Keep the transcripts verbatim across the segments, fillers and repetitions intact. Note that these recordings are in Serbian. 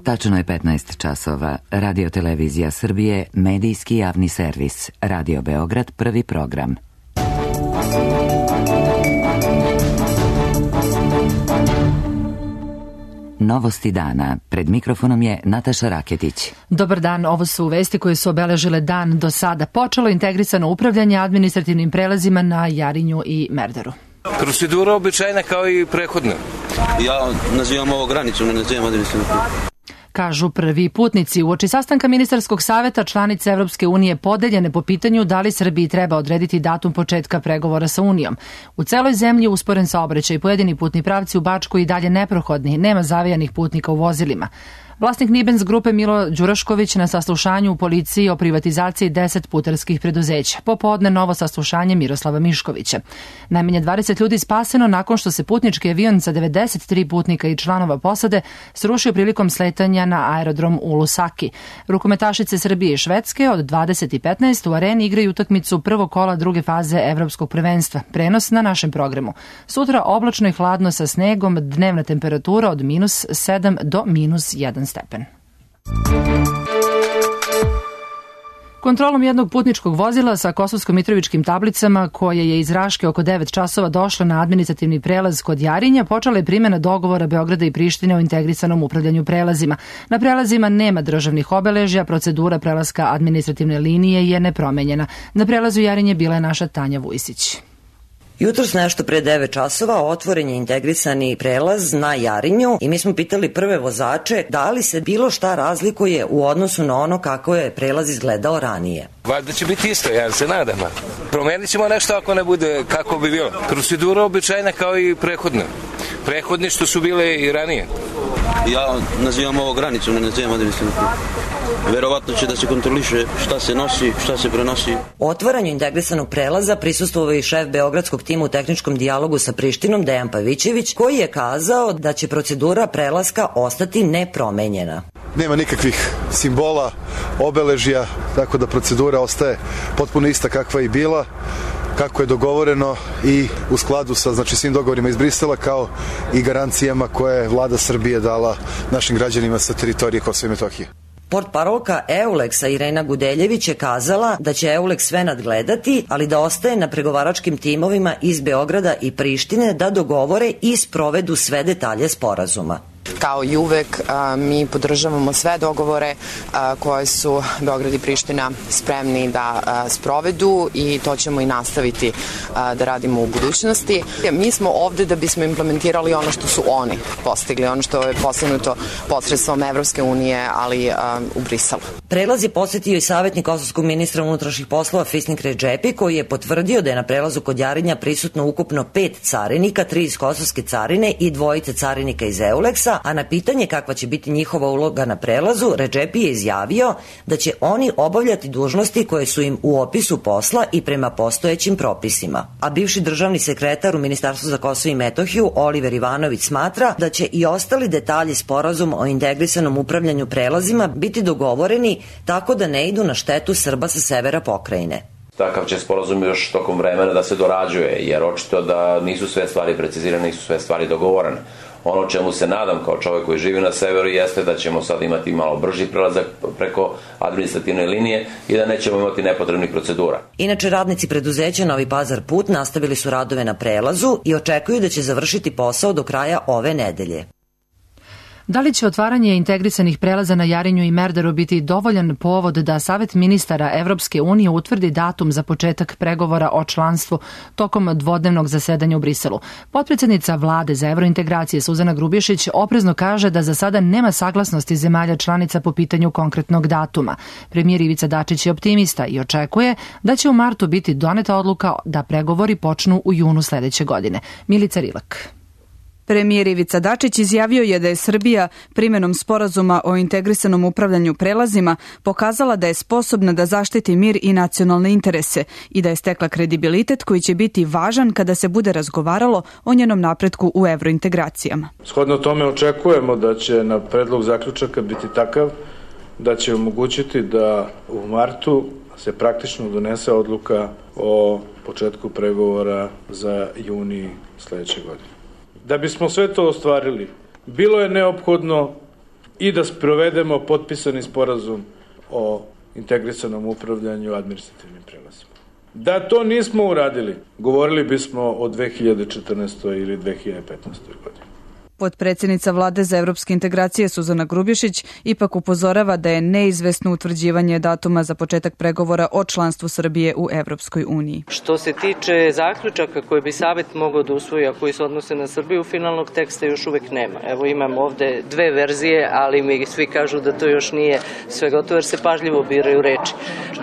Tačno je petnaest časova. Radio Televizija Srbije, medijski javni servis. Radio Beograd, prvi program. Novosti dana. Pred mikrofonom je Nataša Raketić. Dobar dan, ovo su vesti koje su obeležile dan do sada. Počelo integrisano upravljanje administrativnim prelazima na Jarinju i Merdaru. Procedura običajna kao i prethodna. Ja nazivam ovo granicu, ne nazivam administrativnu prelazu. Kažu prvi putnici. Uoči sastanka ministarskog saveta članice Evropske unije podeljene po pitanju da li Srbiji treba odrediti datum početka pregovora sa Unijom. U celoj zemlji usporen saobraćaj, pojedini putni pravci u Bačkoj i dalje neprohodni, nema zavijanih putnika u vozilima. Vlasnik Nibens grupe Milo Đurašković na saslušanju u policiji o privatizaciji deset putarskih preduzeća. Popodne novo saslušanje Miroslava Miškovića. Najmanje dvadeset ljudi spaseno nakon što se putnički avion sa devedeset tri putnika i članova posade srušio prilikom sletanja na aerodrom u Lusaki. Rukometašice Srbije i Švedske od dvadeset i petnaest u areni igraju utakmicu prvog kola druge faze evropskog prvenstva. Prenos na našem programu. Sutra oblačno i hladno sa snegom, dnevna temperatura od minus sedam do minus jedan stepen. Kontrolom jednog putničkog vozila sa kosovsko-mitrovičkim tablicama, koje je iz Raške oko devet časova došlo na administrativni prelaz kod Jarinja, počela je primjena dogovora Beograda i Prištine o integrisanom upravljanju prelazima. Na prelazima nema državnih obeležja, procedura prelaska administrativne linije je nepromenjena. Na prelazu Jarinje bila je naša Tanja Vujsić. Jutros nešto pre devet časova otvoren je integrisani prelaz na Jarinju i mi smo pitali prve vozače da li se bilo šta razlikuje u odnosu na ono kako je prelaz izgledao ranije. Valjda će biti isto, ja se nadam. Promenit ćemo nešto ako ne bude kako bi bilo. Procedura običajna kao i prethodna. Prethodni što su bile i ranije. Ja nazivam ovo granicu, ne nazivam administrativnu prelazu. Verovatno će da se kontroliše šta se nosi, šta se prenosi. Otvaranju integrisanog prelaza prisustvovao i šef beogradskog tima u tehničkom dijalogu sa Prištinom, Dejan Pavićević, koji je kazao da će procedura prelaska ostati nepromenjena. Nema nikakvih simbola, obeležja, tako da procedura ostaje potpuno ista kakva je i bila, kako je dogovoreno i u skladu sa znači, svim dogovorima iz Brisela, kao i garancijama koje je vlada Srbije dala našim građanima sa teritorije Kosova i Metohije. Portparolka Euleksa Irena Gudeljević je kazala da će Euleks sve nadgledati, ali da ostaje na pregovaračkim timovima iz Beograda i Prištine da dogovore i sprovedu sve detalje sporazuma. Kao i uvek, mi podržavamo sve dogovore koje su Beograd i Priština spremni da sprovedu i to ćemo i nastaviti da radimo u budućnosti. Mi smo ovde da bismo implementirali ono što su oni postigli, ono što je postignuto posredstvom Evropske unije, ali u Briselu. Prelaz je posetio i savjetnik kosovskog ministra unutrašnjih poslova Fisnik Redžepi, koji je potvrdio da je na prelazu kod Jarinja prisutno ukupno pet carinika, tri iz kosovske carine i dvojice carinika iz Euleksa, a na pitanje kakva će biti njihova uloga na prelazu, Redžepi je izjavio da će oni obavljati dužnosti koje su im u opisu posla i prema postojećim propisima. A bivši državni sekretar u Ministarstvu za Kosovo i Metohiju, Oliver Ivanović, smatra da će i ostali detalji sporazuma o integrisanom upravljanju prelazima biti dogovoreni tako da ne idu na štetu Srba sa severa pokrajine. Takav će sporazum još tokom vremena da se dorađuje, jer očito da nisu sve stvari precizirane, nisu sve stvari dogovorene. Ono čemu se nadam kao čovjek koji živi na severu jeste da ćemo sad imati malo brži prelazak preko administrativne linije i da nećemo imati nepotrebnih procedura. Inače, radnici preduzeća Novi Pazar Put nastavili su radove na prelazu i očekuju da će završiti posao do kraja ove nedelje. Da li će otvaranje integrisanih prelaza na Jarinju i Merdaru biti dovoljan povod da Savet ministara Evropske unije utvrdi datum za početak pregovora o članstvu tokom dvodnevnog zasedanja u Briselu? Potpredsednica vlade za evrointegracije Suzana Grubješić oprezno kaže da za sada nema saglasnosti zemalja članica po pitanju konkretnog datuma. Premijer Ivica Dačić je optimista i očekuje da će u martu biti doneta odluka da pregovori počnu u junu sledeće godine. Milica Rilak. Premijer Ivica Dačić izjavio je da je Srbija primjenom sporazuma o integrisanom upravljanju prelazima pokazala da je sposobna da zaštiti mir i nacionalne interese i da je stekla kredibilitet koji će biti važan kada se bude razgovaralo o njenom napretku u evrointegracijama. Shodno tome očekujemo da će na predlog zaključaka biti takav da će omogućiti da u martu se praktično donese odluka o početku pregovora za juni sledeće godine. Da bismo sve to ostvarili, bilo je neophodno i da sprovedemo potpisani sporazum o integrisanom upravljanju administrativnim prelazima. Da to nismo uradili, govorili bismo o dve hiljade četrnaestoj ili dve hiljade petnaestoj godini. Potpredsjednica Vlade za evropske integracije Suzana Grubješić ipak upozorava da je neizvesno utvrđivanje datuma za početak pregovora o članstvu Srbije u Evropskoj uniji. Što se tiče zaključaka koje bi Savet mogao da usvoji, a koji se odnose na Srbiju, finalnog teksta još uvek nema. Evo imam ovde dve verzije, ali mi svi kažu da to još nije sve gotovo jer se pažljivo biraju reči.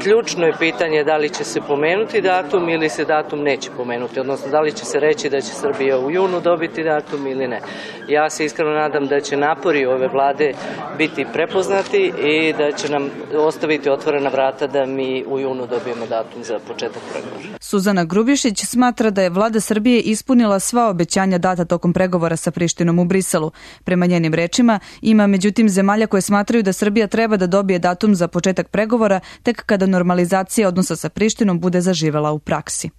Ključno je pitanje da li će se pomenuti datum ili se datum neće pomenuti, odnosno da li će se reći da će Srbija u junu dobiti datum ili ne. Ja se iskreno nadam da će napori ove vlade biti prepoznati i da će nam ostaviti otvorena vrata da mi u junu dobijemo datum za početak pregovora. Suzana Grubješić smatra da je vlada Srbije ispunila sva obećanja data tokom pregovora sa Prištinom u Briselu. Prema njenim rečima, ima međutim zemalja koje smatraju da Srbija treba da dobije datum za početak pregovora tek kada normalizacija odnosa sa Prištinom bude zaživela u praksi.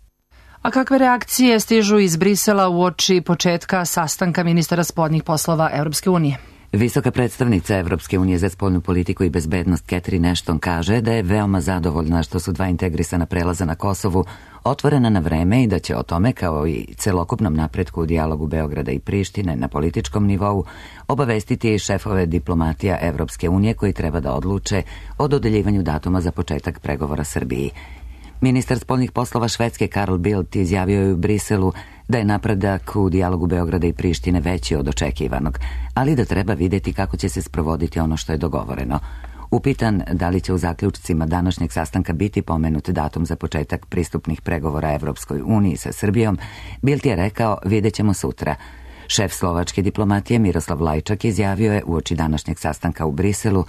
A kakve reakcije stižu iz Brisela uoči početka sastanka ministara spoljnih poslova Evropske unije? Visoka predstavnica Evropske unije za spoljnu politiku i bezbednost Catherine Ashton kaže da je veoma zadovoljna što su dva integrisana prelaza na Kosovu otvorena na vreme i da će o tome, kao i celokupnom napretku u dijalogu Beograda i Prištine na političkom nivou, obavestiti i šefove diplomatija Evropske unije koji treba da odluče o dodeljivanju datuma za početak pregovora Srbiji. Ministar spoljnih poslova Švedske Carl Bildt izjavio je u Briselu da je napredak u dijalogu Beograda i Prištine veći od očekivanog, ali da treba vidjeti kako će se sprovoditi ono što je dogovoreno. Upitan da li će u zaključcima današnjeg sastanka biti pomenut datum za početak pristupnih pregovora Evropskoj uniji sa Srbijom, Bildt je rekao vidjet ćemo sutra. Šef slovačke diplomatije Miroslav Lajčak izjavio je uoči današnjeg sastanka u Briselu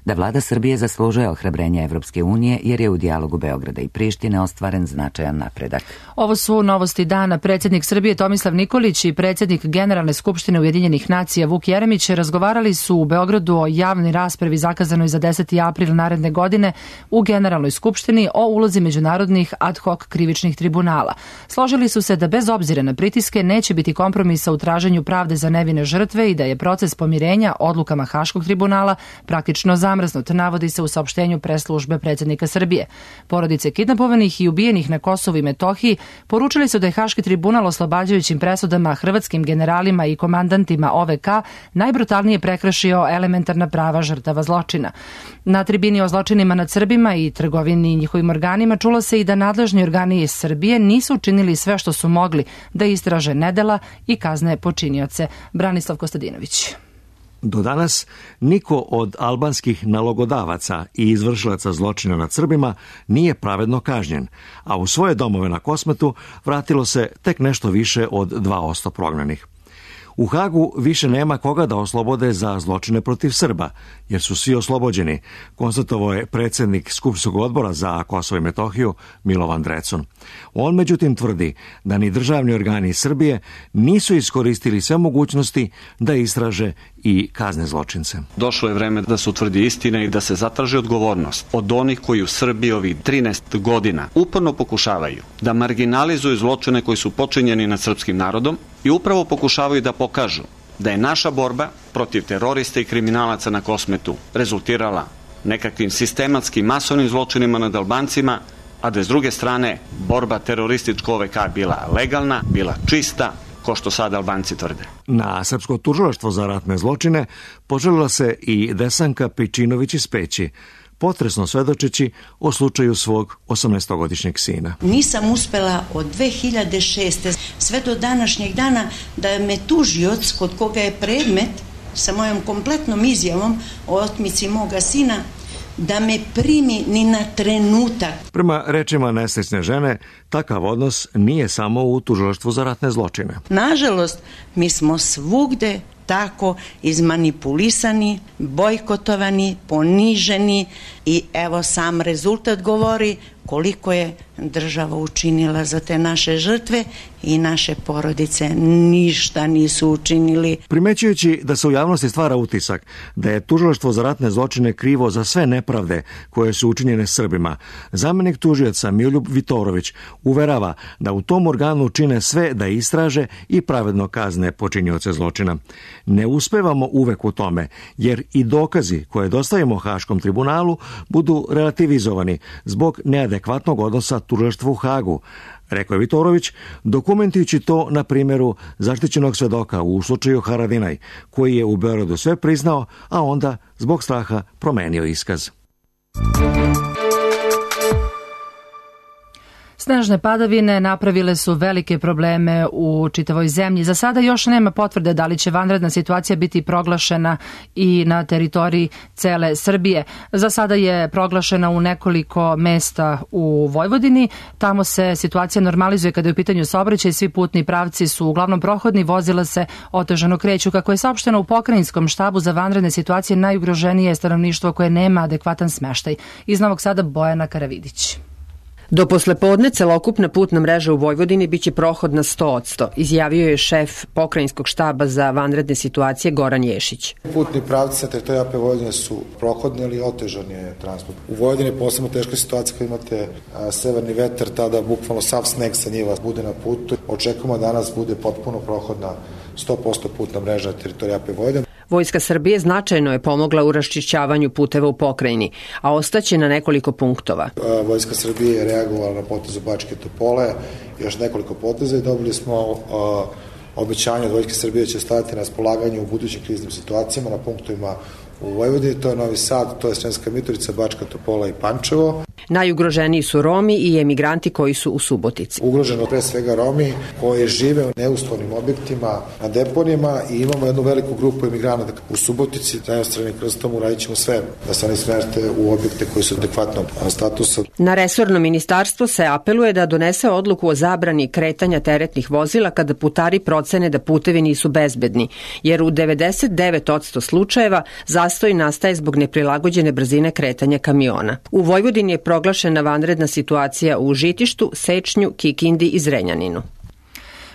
da vlada Srbije zaslužuje ohrabrenje Evropske unije jer je u dijalogu Beograda i Prištine ostvaren značajan napredak. Ovo su novosti dana. Predsjednik Srbije Tomislav Nikolić i predsjednik Generalne skupštine Ujedinjenih nacija Vuk Jeremić razgovarali su u Beogradu o javnoj raspravi zakazanoj za deseti april naredne godine u Generalnoj skupštini o ulozi međunarodnih ad hoc krivičnih tribunala. Složili su se da bez obzira na pritiske neće biti kompromisa u traženju pravde za nevine žrtve i da je proces pomirenja odlukama Haškog tribunala praktično zamrznut, navodi se u saopštenju preslužbe predsjednika Srbije. Porodice kidnapovanih i ubijenih na Kosovu i Metohiji poručili su da je Haški tribunal oslobađajućim presudama hrvatskim generalima i komandantima O V K najbrutalnije prekršio elementarna prava žrtava zločina. Na tribini o zločinima nad Srbima i trgovini i njihovim organima čulo se i da nadležni organi iz Srbije nisu učinili sve što su mogli da istraže nedela i kazne počinioce. Branislav Kostadinović. Do danas niko od albanskih nalogodavaca i izvršilaca zločina nad Srbima nije pravedno kažnjen, a u svoje domove na Kosmetu vratilo se tek nešto više od dva posto prognanih. U Hagu više nema koga da oslobode za zločine protiv Srba, jer su svi oslobođeni, konstatovao je predsjednik Skupštinskog odbora za Kosovo i Metohiju Milovan Drecun. On međutim tvrdi da ni državni organi Srbije nisu iskoristili sve mogućnosti da istraže i kazne zločince. Došlo je vreme da se utvrdi istina i da se zatraži odgovornost od onih koji u Srbiji ovih trinaest godina uporno pokušavaju da marginalizuju zločine koji su počinjeni nad srpskim narodom i upravo pokušavaju da pokažu da je naša borba protiv terorista i kriminalaca na Kosmetu rezultirala nekakvim sistematskim masovnim zločinima nad Albancima, a da je s druge strane borba teroristička O V K bila legalna, bila čista, ko što sad Albanci tvrde. Na Srpsko tužilaštvo za ratne zločine poželila se i Desanka Pičinović iz Peći, potresno svedočeći o slučaju svog osamnaestogodišnjeg sina. Nisam uspela od dve hiljade šeste sve do današnjeg dana da me tužioc kod koga je predmet sa mojom kompletnom izjavom o otmici moga sina da me primi ni na trenutak. Prema rečima nesrećne žene, takav odnos nije samo u tužilaštvu za ratne zločine. Nažalost, mi smo svugde tako izmanipulisani, bojkotovani, poniženi i evo sam rezultat govori koliko je država učinila za te naše žrtve i naše porodice ništa nisu učinili. Primećujući da se u javnosti stvara utisak da je tužilaštvo za ratne zločine krivo za sve nepravde koje su učinjene Srbima, zamenik tužioca Miroljub Vitorović uverava da u tom organu čine sve da istraže i pravedno kazne počinioce zločina. Ne uspevamo uvek u tome, jer i dokazi koje dostavimo Haškom tribunalu budu relativizovani zbog neadekvatnog odnosa tužilaštva u Hagu, rekao je Vitorović, dokumentujući to na primjeru zaštićenog svedoka u slučaju Haradinaj, koji je u Beogradu sve priznao, a onda zbog straha promenio iskaz. Snežne padavine napravile su velike probleme u čitavoj zemlji. Za sada još nema potvrde da li će vanredna situacija biti proglašena i na teritoriji cele Srbije. Za sada je proglašena u nekoliko mesta u Vojvodini. Tamo se situacija normalizuje kada je u pitanju saobraćaj. Svi putni pravci su uglavnom prohodni, vozila se otežano kreću. Kako je saopšteno u pokrajinskom štabu za vanredne situacije, najugroženije je stanovništvo koje nema adekvatan smeštaj. Iz Novog Sada Bojana Karavidić. Do poslepodne celokupna putna mreža u Vojvodini biće prohodna sto posto, izjavio je šef pokrajinskog štaba za vanredne situacije Goran Ješić. Putni pravci na teritoriji A P Vojvodine su prohodni, ali otežan je transport. U Vojvodini je posebno teška situacija kada imate a, severni vetar, tada bukvalno sav sneg sa njiva bude na putu. Očekujemo da danas bude potpuno prohodna sto posto putna mreža na teritoriji A P Vojvodine. Vojska Srbije značajno je pomogla u raščišćavanju puteva u pokrajini, a ostaće na nekoliko punktova. Vojska Srbije je reagovala na potezu Bačke Topole, još nekoliko poteza i dobili smo a, obećanje od Vojske Srbije će staviti na raspolaganju u budućim kriznim situacijama na punktovima u Vojvodini, to je Novi Sad, to je Sremska Mitrovica, Bačka Topola i Pančevo. Najugroženiji su Romi i emigranti koji su u Subotici. Ugroženo pre svega Romi koji žive u neuslovnim objektima na deponijama i imamo jednu veliku grupu emigranata u Subotici. Zajedno s Crvenim krstom uradit ćemo sve da se oni smerte u objekte koji su adekvatnog statusa. Na resorno ministarstvo se apeluje da donese odluku o zabrani kretanja teretnih vozila kada putari procene da putevi nisu bezbedni, jer u devedeset devet posto slučajeva zastoj nastaje zbog neprilagođene brzine kretanja kamiona. U Vojvodini je proglašena vanredna situacija u Žitištu, Sečnju, Kikindi i Zrenjaninu.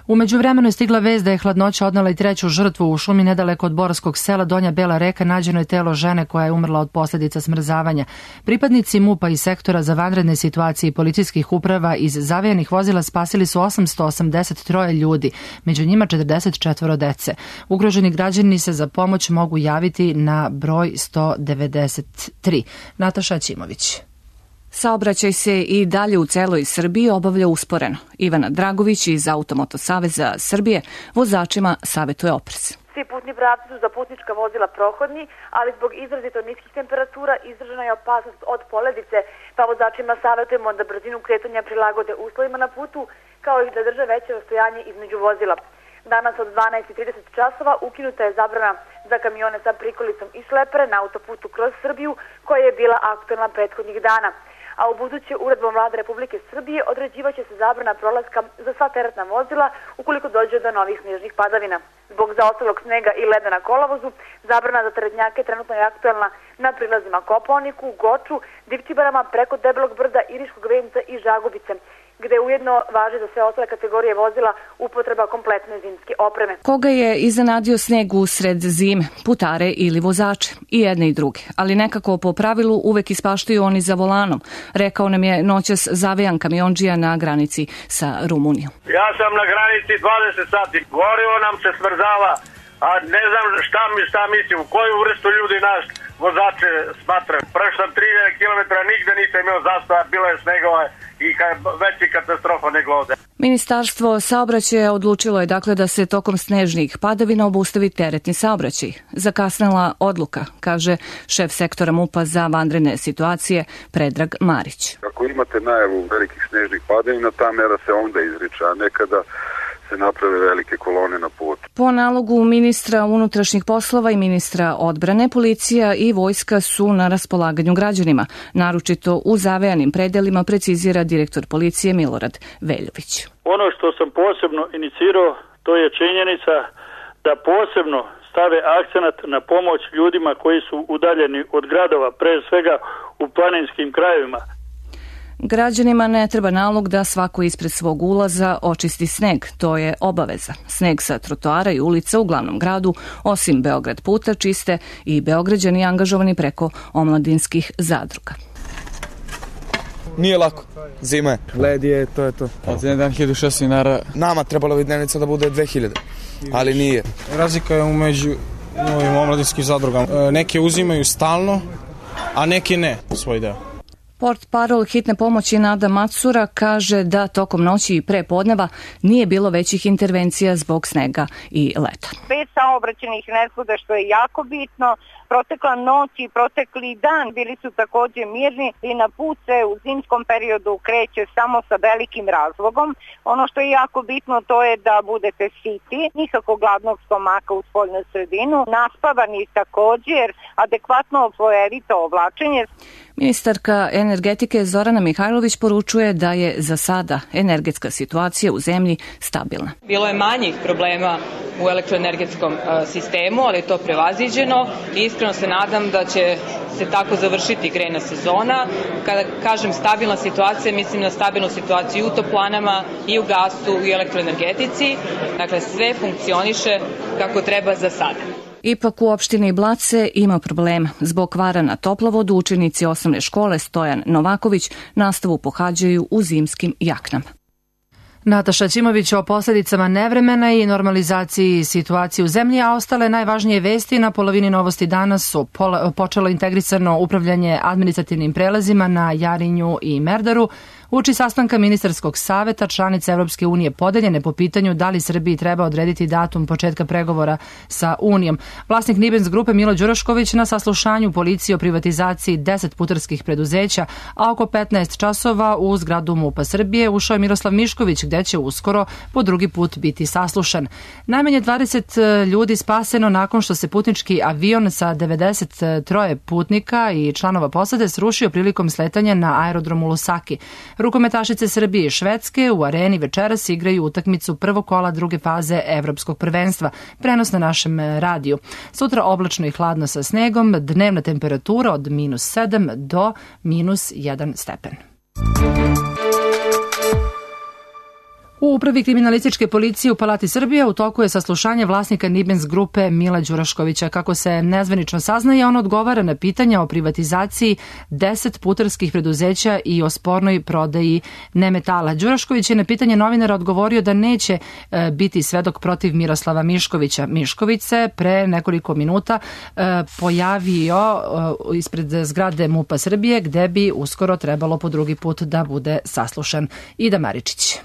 U međuvremenu je stigla vest da je hladnoća odnela i treću žrtvu u šumi nedaleko od Borskog sela Donja Bela Reka. Nađeno je telo žene koja je umrla od posljedica smrzavanja. Pripadnici M U P-a i sektora za vanredne situacije i policijskih uprava iz zavejanih vozila spasili su osamsto osamdeset tri ljudi, među njima četrdeset četiri dece. Ugroženi građani se za pomoć mogu javiti na broj sto devedeset tri. Nataša Ćimović. Saobraćaj se i dalje u celoj Srbiji obavlja usporeno. Ivana Dragović iz Automoto saveza Srbije vozačima savetuje oprez. Svi putni pravci su za putnička vozila prohodni, ali zbog izrazito niskih temperatura izražena je opasnost od poledice, pa vozačima savetujemo da brzinu kretanja prilagode uslovima na putu, kao i da drže veće rastojanje između vozila. Danas od dvanaest i trideset časova ukinuta je zabrana za kamione sa prikolicom i šlepere na autoputu kroz Srbiju, koja je bila aktualna prethodnih dana. A u buduće uredbom Vlade Republike Srbije određivaće se zabrana prolaska za sva teretna vozila ukoliko dođe do novih snežnih padavina. Zbog zaostalog snega i leda na kolovozu, zabrana za teretnjake trenutno je aktualna na prilazima Kopaoniku, Goču, Divčibarama, preko Debelog brda, Iriškog venca i Žagubice, gde ujedno važi za sve ostale kategorije vozila upotreba kompletne zimske opreme. Koga je iznenadio sneg usred zime, putare ili vozače, i jedne i druge, ali nekako po pravilu uvek ispaštaju oni za volanom, rekao nam je noćas zavejan kamionđija na granici sa Rumunijom. Ja sam na granici dvadeset sati, gorivo nam se smrzava, a ne znam šta mi šta mislim, koju vrstu ljudi naš vozače smatraju. Prošlo tri kilometra nigde nisam imao zastoja, bilo je snegova i veći katastrofa nego ovde. Ministarstvo saobraćaja odlučilo je dakle da se tokom snežnih padavina obustavi teretni saobraćaj. Zakasnela odluka, kaže šef sektora M U P-a za vanredne situacije Predrag Marić. Ako imate najavu velikih snežnih padavina, ta mera se onda izriče, a nekada se naprave velike kolone na putu. Po nalogu ministra unutrašnjih poslova i ministra odbrane, policija i vojska su na raspolaganju građanima, naročito u zavejanim predelima, precizira direktor policije Milorad Veljović. Ono što sam posebno inicirao, to je činjenica da posebno stave akcenat na pomoć ljudima koji su udaljeni od gradova, pre svega u planinskim krajevima. Građanima ne treba nalog da svako ispred svog ulaza očisti sneg, to je obaveza. Sneg sa trotoara i ulica u glavnom gradu, osim Beograd puta, čiste i Beograđani angažovani preko omladinskih zadruga. Nije lako, zima je. Led je, to je to. Od jedan dan hiljadu šest dinara. Nama trebalo bi dnevnica da bude dve hiljade. ali nije. Razlika je umeđu ovim omladinskim zadrugama. Neke uzimaju stalno, a neke ne svoj deo. Portparol hitne pomoći Nada Macura kaže da tokom noći i pre podneva nije bilo većih intervencija zbog snega i leta. Bez saobraćajnih nezgoda, što je jako bitno, protekla noć i protekli dan bili su takođe mirni i na put se u zimskom periodu kreće samo sa velikim razlogom. Ono što je jako bitno to je da budete siti, nikako gladnog stomaka u spoljnu sredinu, naspavani takođe jer adekvatno slojevito oblačenje. Ministarka energetike Zorana Mihajlović poručuje da je za sada energetska situacija u zemlji stabilna. Bilo je manjih problema u elektroenergetskom sistemu, ali je to prevaziđeno i iskreno se nadam da će se tako završiti grejna sezona. Kada kažem stabilna situacija, mislim na stabilnu situaciju u toplanama i u gasu i u elektroenergetici. Dakle, sve funkcioniše kako treba za sada. Ipak u opštini Blace ima problema. Zbog kvara na toplovodu učenici osnovne škole Stojan Novaković nastavu pohađaju u zimskim jaknama. Nataša Ćimović o posledicama nevremena i normalizaciji situacije u zemlji, a ostale najvažnije vesti na polovini Novosti danas su počelo integrisano upravljanje administrativnim prelazima na Jarinju i Merdaru, uoči sastanka ministarskog saveta članice Evropske unije podeljene po pitanju da li Srbiji treba odrediti datum početka pregovora sa Unijom. Vlasnik Nibens grupe Milo Đurašković na saslušanju policije o privatizaciji deset putarskih preduzeća, a oko petnaest časova u zgradu MUP-a Srbije ušao je Miroslav Mišković, gde će uskoro po drugi put biti saslušan. Najmanje dvadeset ljudi spaseno nakon što se putnički avion sa devedeset tri putnika i članova posade srušio prilikom sletanja na aerodromu Lusaki. Rukometašice Srbije i Švedske u areni večeras igraju utakmicu prvog kola druge faze evropskog prvenstva. Prenos na našem radiju. Sutra oblačno i hladno sa snegom, dnevna temperatura od minus sedam do minus jedan stepen. U upravi kriminalističke policije u Palati Srbije u toku je saslušanje vlasnika Nibens grupe Mila Đuraškovića. Kako se nezvanično saznaje, on odgovara na pitanja o privatizaciji deset putarskih preduzeća i o spornoj prodaji nemetala. Đurašković je na pitanje novinara odgovorio da neće e, biti svedok protiv Miroslava Miškovića. Mišković se pre nekoliko minuta e, pojavio e, ispred zgrade MUP-a Srbije, gde bi uskoro trebalo po drugi put da bude saslušan. Ida Maričić.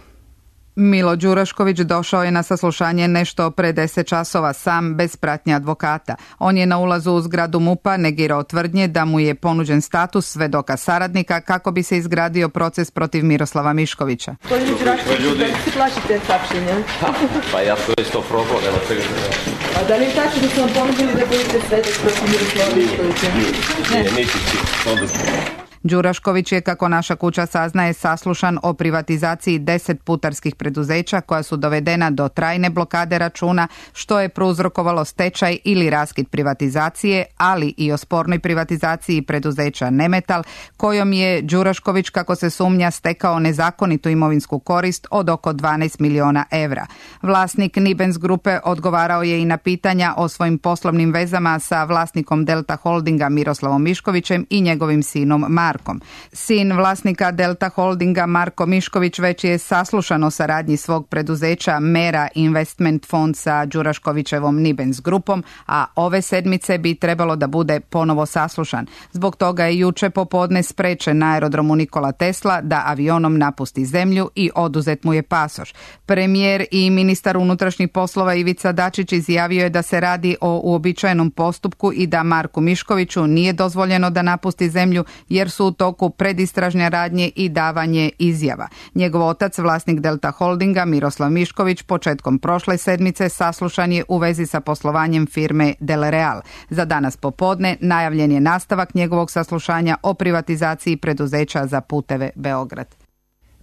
Milo Đurašković došao je na saslušanje nešto pre deset časova sam, bez pratnje advokata. On je na ulazu u zgradu MUP-a negirao tvrdnje da mu je ponuđen status svedoka saradnika kako bi se izgradio proces protiv Miroslava Miškovića. Gospodin Đurašković, da li se plašite sapšenja? Pa ja to isto probao, nema čega se ne. A da li je tako da su vam ponudili da budete svedok protiv Miroslava Miškovića? Ne, niti ti, onda smo. Đurašković je, kako naša kuća saznaje, saslušan o privatizaciji deset putarskih preduzeća koja su dovedena do trajne blokade računa, što je prouzrokovalo stečaj ili raskid privatizacije, ali i o spornoj privatizaciji preduzeća Nemetal, kojom je Đurašković, kako se sumnja, stekao nezakonitu imovinsku korist od oko dvanaest miliona evra. Vlasnik Nibens grupe odgovarao je i na pitanja o svojim poslovnim vezama sa vlasnikom Delta Holdinga Miroslavom Miškovićem i njegovim sinom Markom. Sin vlasnika Delta Holdinga Marko Mišković već je saslušan o saradnji svog preduzeća Mera Investment Fond sa Đuraškovićevom Nibens grupom, a ove sedmice bi trebalo da bude ponovo saslušan. Zbog toga je juče popodne sprečen na aerodromu Nikola Tesla da avionom napusti zemlju i oduzet mu je pasoš. Premijer i ministar unutrašnjih poslova Ivica Dačić izjavio je da se radi o uobičajenom postupku i da Marku Miškoviću nije dozvoljeno da napusti zemlju jer su u toku predistražne radnje i davanje izjava. Njegov otac, vlasnik Delta Holdinga, Miroslav Mišković, početkom prošle sedmice saslušan je u vezi sa poslovanjem firme Delereal. Za danas popodne najavljen je nastavak njegovog saslušanja o privatizaciji preduzeća za puteve Beograd.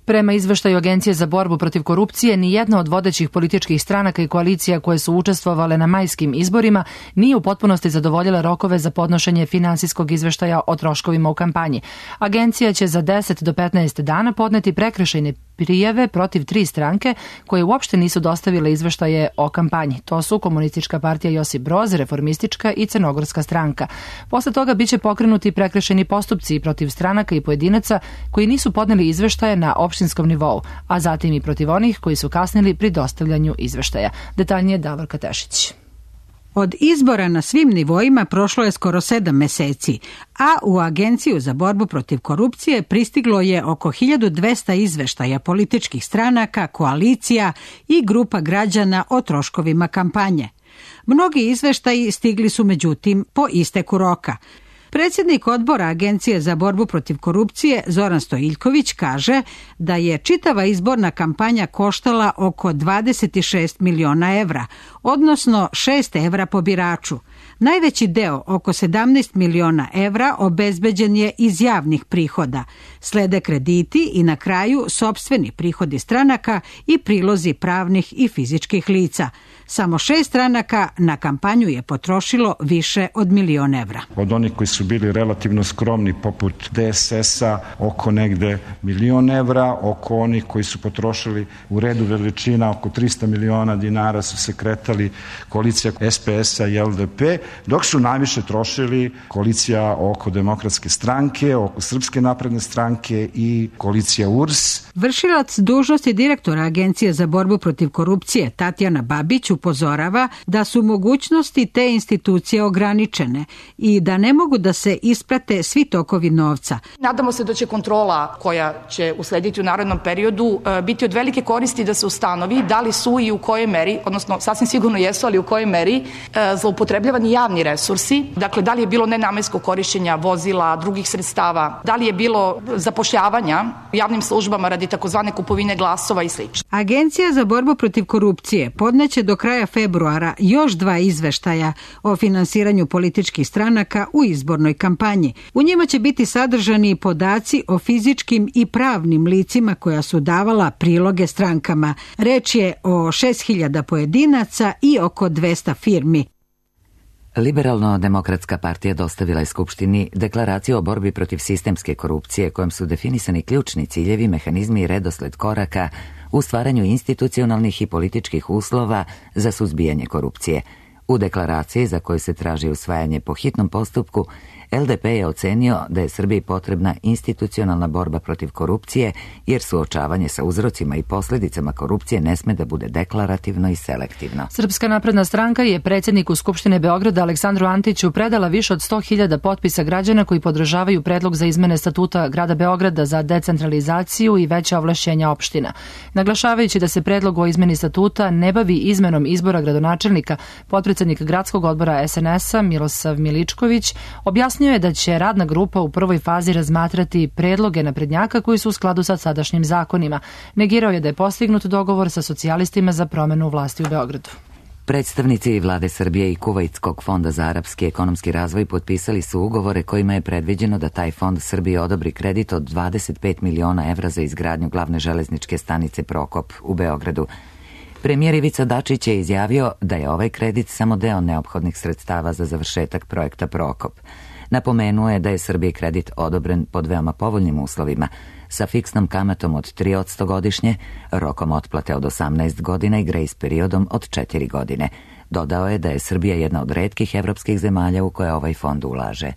Prema izveštaju Agencije za borbu protiv korupcije, ni jedna od vodećih političkih stranaka i koalicija koje su učestvovale na majskim izborima nije u potpunosti zadovoljila rokove za podnošenje finansijskog izveštaja o troškovima u kampanji. Agencija će za deset do petnaest dana podneti prekršajne prijave protiv tri stranke koje uopšte nisu dostavile izveštaje o kampanji. To su Komunistička partija Josip Broz, Reformistička i Crnogorska stranka. Posle toga biće pokrenuti prekršajni postupci protiv stranaka i pojedinaca koji nisu podneli izveštaje na opštinskom nivou, a zatim i protiv onih koji su kasnili pri dostavljanju izveštaja. Detaljnije Davorka Tešić. Od izbora na svim nivoima prošlo je skoro sedam meseci, a u Agenciju za borbu protiv korupcije pristiglo je oko hiljadu dvesta izveštaja političkih stranaka, koalicija i grupa građana o troškovima kampanje. Mnogi izveštaji stigli su međutim po isteku roka. Predsjednik odbora Agencije za borbu protiv korupcije Zoran Stojiljković kaže da je čitava izborna kampanja koštala oko dvadeset šest miliona evra, odnosno šest evra po biraču. Najveći deo, oko sedamnaest miliona evra, obezbeđen je iz javnih prihoda. Slede krediti i na kraju sopstveni prihodi stranaka i prilozi pravnih i fizičkih lica. Samo šest stranaka na kampanju je potrošilo više od milion evra. Od onih koji su bili relativno skromni poput D S S-a oko negde milion evra, oko onih koji su potrošili u redu veličina oko trista miliona dinara su se kretali koalicija S P S-a i L D P, dok su najviše trošili koalicija oko Demokratske stranke, oko Srpske napredne stranke i koalicija U R S. Vršilac dužnosti direktora Agencije za borbu protiv korupcije Tatjana Babić upozorava da su mogućnosti te institucije ograničene i da ne mogu da se isprate svi tokovi novca. Nadamo se da će kontrola koja će uslediti u narednom periodu biti od velike koristi da se ustanovi da li su i u kojoj meri, odnosno sasvim sigurno jesu, ali u kojoj meri zloupotrebljavani javni resursi, dakle da li je bilo nenamenskog korišćenja vozila, drugih sredstava, da li je bilo zapošljavanja u javnim službama radi takozvane kupovine glasova i sl. Agencija za borbu protiv korupcije podneće do kraja februara još dva izveštaja o finansiranju političkih stranaka u izbornoj kampanji. U njima će biti sadržani podaci o fizičkim i pravnim licima koja su davala priloge strankama. Reč je o šest hiljada pojedinaca i oko dvesta firmi. Liberalno-demokratska partija dostavila je Skupštini deklaraciju o borbi protiv sistemske korupcije kojom su definisani ključni ciljevi, mehanizmi i redosled koraka u stvaranju institucionalnih i političkih uslova za suzbijanje korupcije. U deklaraciji za koju se traži usvajanje po hitnom postupku, L D P je ocenio da je Srbiji potrebna institucionalna borba protiv korupcije, jer suočavanje sa uzrocima i posljedicama korupcije ne sme da bude deklarativno i selektivno. Srpska napredna stranka je predsjedniku Skupštine Beograda Aleksandru Antiću predala više od sto hiljada potpisa građana koji podržavaju predlog za izmene statuta grada Beograda za decentralizaciju i veća ovlašćenja opština. Naglašavajući da se predlog o izmeni statuta ne bavi izmenom izbora gradonačelnika, potpredsednik gradskog odbora S N S-a Milosav Miličković objasnio je da će radna grupa u prvoj fazi razmatrati predloge naprednjaka koji su u skladu sa sadašnjim zakonima. Negirao je da je postignut dogovor sa socijalistima za promenu vlasti u Beogradu. Predstavnici vlade Srbije i Kuvajtskog fonda za arapski ekonomski razvoj potpisali su ugovore kojima je predviđeno da taj fond Srbiji odobri kredit od dvadeset pet miliona evra za izgradnju glavne železničke stanice Prokop u Beogradu. Premijer Ivica Dačić je izjavio da je ovaj kredit samo deo neophodnih sredstava za završetak projekta Prokop. Napomenuo je da je Srbiji kredit odobren pod veoma povoljnim uslovima, sa fiksnom kamatom od tri posto godišnje, rokom otplate od osamnaest godina i grejs periodom od četiri godine. Dodao je da je Srbija jedna od retkih evropskih zemalja u koje ovaj fond ulaže.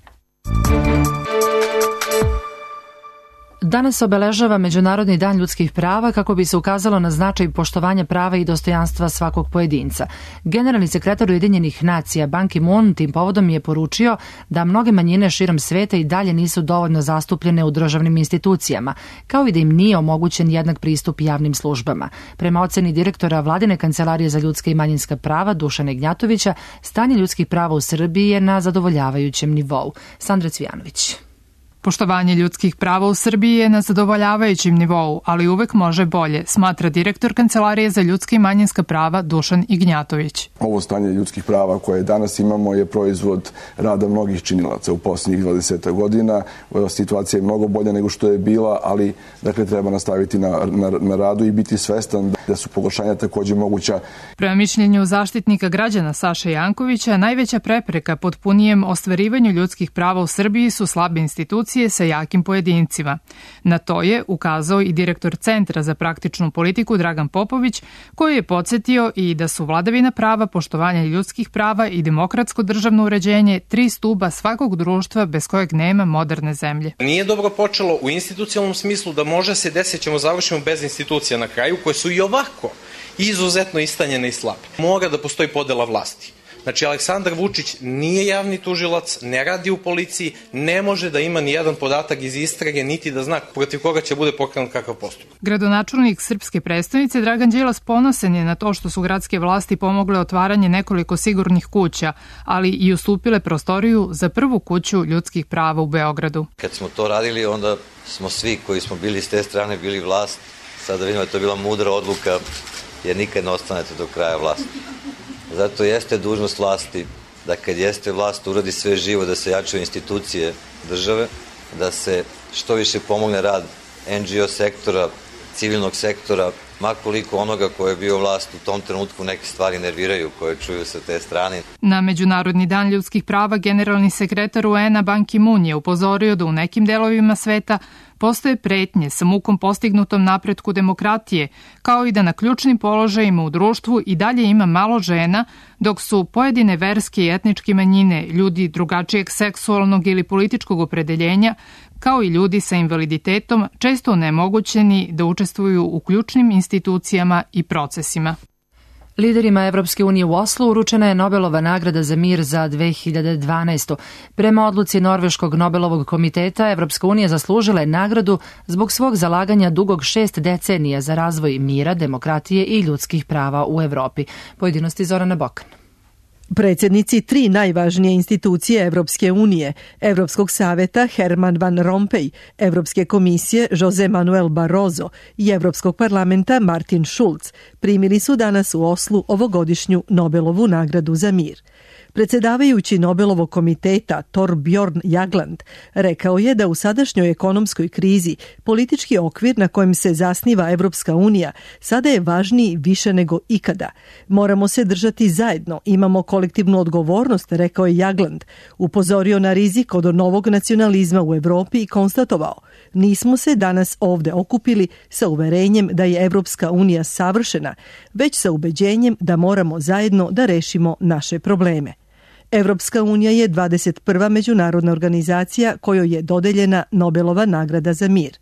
Danas se obeležava Međunarodni dan ljudskih prava kako bi se ukazalo na značaj poštovanja prava i dostojanstva svakog pojedinca. Generalni sekretar Ujedinjenih nacija Ban Ki-moon tim povodom je poručio da mnoge manjine širom sveta i dalje nisu dovoljno zastupljene u državnim institucijama, kao i da im nije omogućen jednak pristup javnim službama. Prema oceni direktora Vladine kancelarije za ljudska i manjinska prava Dušana Ignjatovića, stanje ljudskih prava u Srbiji je na zadovoljavajućem nivou. Sandra Cvijanović. Poštovanje ljudskih prava u Srbiji je na zadovoljavajućem nivou, ali uvek može bolje, smatra direktor Kancelarije za ljudska i manjinska prava Dušan Ignjatović. Ovo stanje ljudskih prava koje danas imamo je proizvod rada mnogih činilaca u posljednjih dvadeset godina. Situacija je mnogo bolja nego što je bila, ali dakle treba nastaviti na, na, na radu i biti svestan da su pogoršanja takođe moguća. Prema mišljenju zaštitnika građana Saše Jankovića, najveća prepreka potpunijem ostvarivanju ljudskih prava u Srbiji su slabe institucije koalicije sa jakim pojedincima. Na to je ukazao i direktor Centra za praktičnu politiku Dragan Popović, koji je podsjetio i da su vladavina prava, poštovanje ljudskih prava i demokratsko državno uređenje tri stuba svakog društva bez kojeg nema moderne zemlje. Nije dobro počelo u institucionalnom smislu da može se desiti, ćemo završimo bez institucija na kraju, koje su i ovako izuzetno istanjene i slabe. Mora da postoji podela vlasti. Znači, Aleksandar Vučić nije javni tužilac, ne radi u policiji, ne može da ima ni jedan podatak iz istrage, niti da zna protiv koga će bude pokrenut kakav postupak. Gradonačelnik srpske prestonice Dragan Đilas ponosan je na to što su gradske vlasti pomogle otvaranje nekoliko sigurnih kuća, ali i ustupile prostoriju za prvu kuću ljudskih prava u Beogradu. Kad smo to radili, onda smo svi koji smo bili s te strane bili vlast. Sada vidimo da to je bila mudra odluka, jer nikad ne ostanete do kraja vlasti. Zato jeste dužnost vlasti da kad jeste vlast uradi sve živo, da se jačaju institucije države, da se što više pomogne rad en dži o sektora, civilnog sektora, makoliko onoga ko je bio vlast u tom trenutku neke stvari nerviraju koje čuju sa te strane. Na Međunarodni dan ljudskih prava generalni sekretar U En-a Ban Ki-moon je upozorio da u nekim delovima sveta postoje pretnje sa mukom postignutom napretku demokratije, kao i da na ključnim položajima u društvu i dalje ima malo žena, dok su pojedine verske i etničke manjine, ljudi drugačijeg seksualnog ili političkog opredeljenja, kao i ljudi sa invaliditetom, često onemogućeni da učestvuju u ključnim institucijama i procesima. Liderima Evropske unije u Oslu uručena je Nobelova nagrada za mir za dve hiljade dvanaestu. Prema odluci Norveškog Nobelovog komiteta, Evropska unija zaslužila je nagradu zbog svog zalaganja dugog šest decenija za razvoj mira, demokratije i ljudskih prava u Evropi. Pojedinosti Zorana Bokan. Predsjednici tri najvažnije institucije Evropske unije, Evropskog saveta Herman Van Rompuy, Evropske komisije Jose Manuel Barroso i Evropskog parlamenta Martin Schulz primili su danas u Oslu ovogodišnju Nobelovu nagradu za mir. Predsjedavajući Nobelovog komiteta Torbjorn Jagland rekao je da u sadašnjoj ekonomskoj krizi politički okvir na kojem se zasniva Evropska unija sada je važniji više nego ikada. Moramo se držati zajedno, imamo kolektivnu odgovornost, rekao je Jagland. Upozorio na rizik od novog nacionalizma u Evropi i konstatovao: nismo se danas ovde okupili sa uverenjem da je Evropska unija savršena, već sa ubeđenjem da moramo zajedno da rešimo naše probleme. Evropska unija je dvadeset prva međunarodna organizacija kojoj je dodeljena Nobelova nagrada za mir.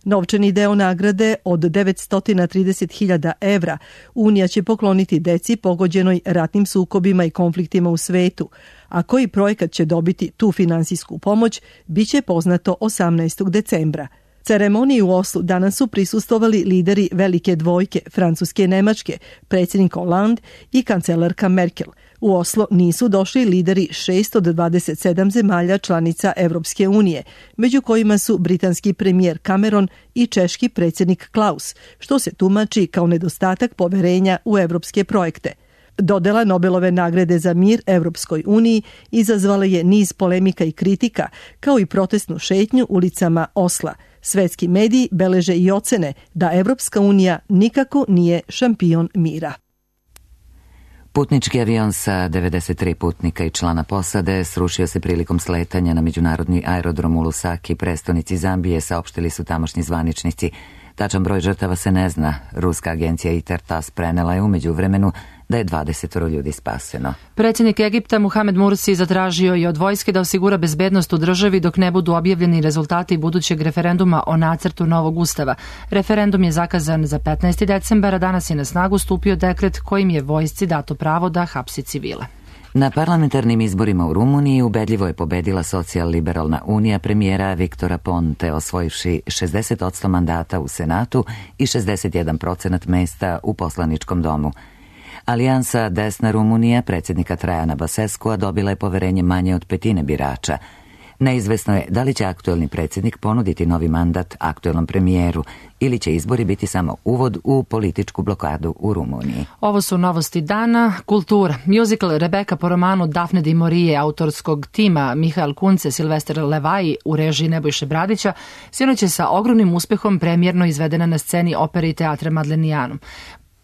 Novčani deo nagrade od devetsto trideset hiljada evra Unija će pokloniti deci pogođenoj ratnim sukobima i konfliktima u svetu, a koji projekat će dobiti tu finansijsku pomoć biće poznato osamnaestog decembra. Ceremoniji u Oslu danas su prisustvovali lideri velike dvojke Francuske i Nemačke, predsjednik Hollande i kancelarka Merkel. U Oslo nisu došli lideri šest od dvadeset sedam zemalja članica Evropske unije, među kojima su britanski premijer Cameron i češki predsjednik Klaus, što se tumači kao nedostatak poverenja u evropske projekte. Dodela Nobelove nagrade za mir Evropskoj uniji izazvala je niz polemika i kritika, kao i protestnu šetnju ulicama Osla. Svetski mediji beleže i ocene da Evropska unija nikako nije šampion mira. Putnički avion sa devedeset tri putnika i člana posade srušio se prilikom sletanja na međunarodni aerodrom u Lusaki, prestonici Zambije, saopštili su tamošnji zvaničnici. Tačan broj žrtava se ne zna. Ruska agencija Intertas prenela je umeđu vremenu da je dvadeset ljudi spaseno. Predsjednik Egipta Muhamed Mursi zatražio je od vojske da osigura bezbednost u državi dok ne budu objavljeni rezultati budućeg referenduma o nacrtu novog ustava. Referendum je zakazan za petnaesti decembara, danas je na snagu stupio dekret kojim je vojsci dato pravo da hapsi civile. Na parlamentarnim izborima u Rumuniji ubedljivo je pobedila socijal-liberalna unija premijera Viktora Ponte, osvojivši šezdeset posto mandata u Senatu i šezdeset jedan procenat mesta u poslaničkom domu. Alijansa Desna Rumunija predsjednika Trajana Baseskua dobila je poverenje manje od petine birača. Neizvesno je da li će aktuelni predsjednik ponuditi novi mandat aktuelnom premijeru ili će izbori biti samo uvod u političku blokadu u Rumuniji. Ovo su novosti dana. Kultura. Musical Rebeka po romanu Dafne di Morije autorskog tima Mihael Kunce, Silvester Levaji u režiji Nebojše Bradića sinoć je sa ogromnim uspehom premijerno izvedena na sceni opere i teatra Madlenijanum.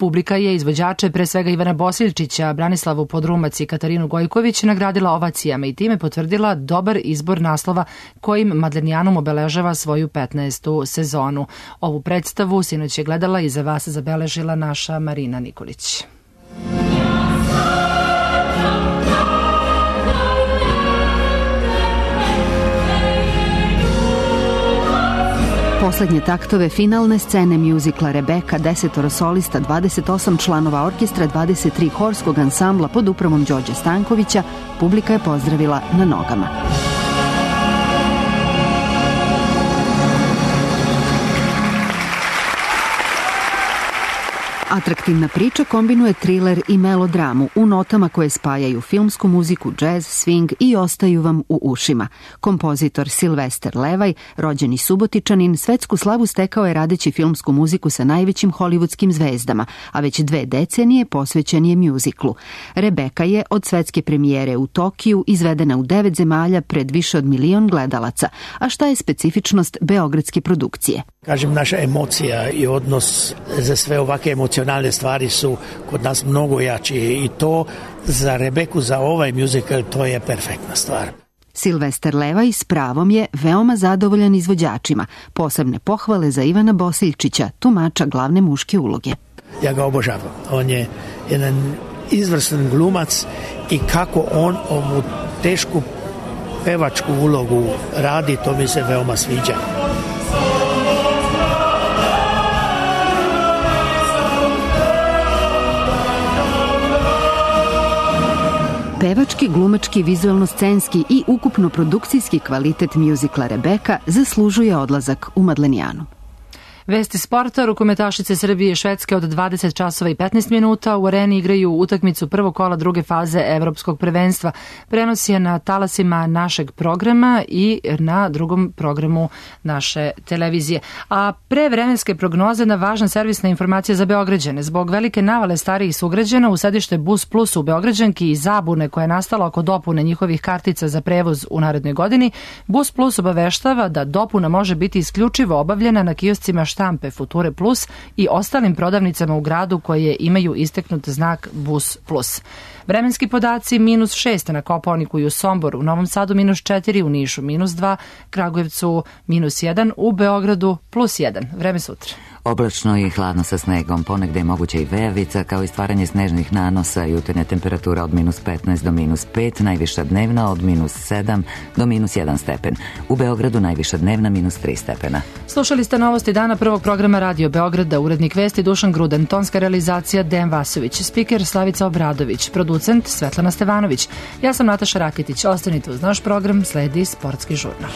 Publika je izvođače, pre svega Ivana Bosiljčića, Branislavu Podrumac i Katarinu Gojković, nagradila ovacijama i time potvrdila dobar izbor naslova kojim Madlenijanum obeležava svoju petnaestu sezonu. Ovu predstavu sinoć je gledala i za vas zabeležila naša Marina Nikolić. Poslednje taktove finalne scene mjuzikla Rebeka, desetoro solista, dvadeset osam članova orkestra, dvadeset tri horskog ansambla pod upravom Đorđe Stankovića, publika je pozdravila na nogama. Atraktivna priča kombinuje triler i melodramu u notama koje spajaju filmsku muziku, džez, swing i ostaju vam u ušima. Kompozitor Silvester Levaj, rođeni Subotičanin, svetsku slavu stekao je radeći filmsku muziku sa najvećim hollywoodskim zvezdama, a već dve decenije posvećen je mjuziklu. Rebeka je od svetske premijere u Tokiju izvedena u devet zemalja pred više od milion gledalaca. A šta je specifičnost beogradske produkcije? Kažem, naša emocija i odnos za sve ovakve emocionalne stvari su kod nas mnogo jači i to za Rebeku, za ovaj musical, to je perfektna stvar. Silvester Levaj s pravom je veoma zadovoljan izvođačima. Posebne pohvale za Ivana Bosiljčića, tumača glavne muške uloge. Ja ga obožavam. On je jedan izvrstan glumac i kako on ovu tešku pevačku ulogu radi, to mi se veoma sviđa. Pevački, glumački, vizualno-scenski i ukupno produkcijski kvalitet mjuzikla Rebeka zaslužuje odlazak u Madlenijanu. Vesti sporta, rukometašice Srbije i Švedske od dvadeset časova i petnaest minuta u Areni igraju utakmicu prvog kola druge faze Evropskog prvenstva. Prenos je na talasima našeg programa i na drugom programu naše televizije. A pre vremenske prognoze na važna servisna informacija za Beograđane. Zbog velike navale starijih sugrađana u sedište Bus Plus u Beograđanki i zabune koja je nastala oko dopune njihovih kartica za prevoz u narednoj godini, Bus Plus obaveštava da dopuna može biti isključivo obavljena na kioscima štampe Future Plus i ostalim prodavnicama u gradu koje imaju isteknut znak Bus Plus. Vremenski podaci minus šest na Kopaoniku i u Somboru, u Novom Sadu minus četiri, u Nišu minus dva, Kragujevcu minus jedan, u Beogradu plus jedan. Vreme sutra. Oblačno i hladno sa snegom, ponegde je moguća i vejavica, kao i stvaranje snežnih nanosa, jutarnja temperatura od minus petnaest do minus pet, najviša dnevna od minus sedam do minus jedan stepen. U Beogradu najviša dnevna minus tri stepena. Slušali ste novosti dana prvog programa Radio Beograda, urednik vesti Dušan Gruden, tonska realizacija Dejan Vasović, spiker Slavica Obradović, producent Svetlana Stevanović. Ja sam Nataša Raketić, ostanite uz naš program, sledi Sportski žurnal.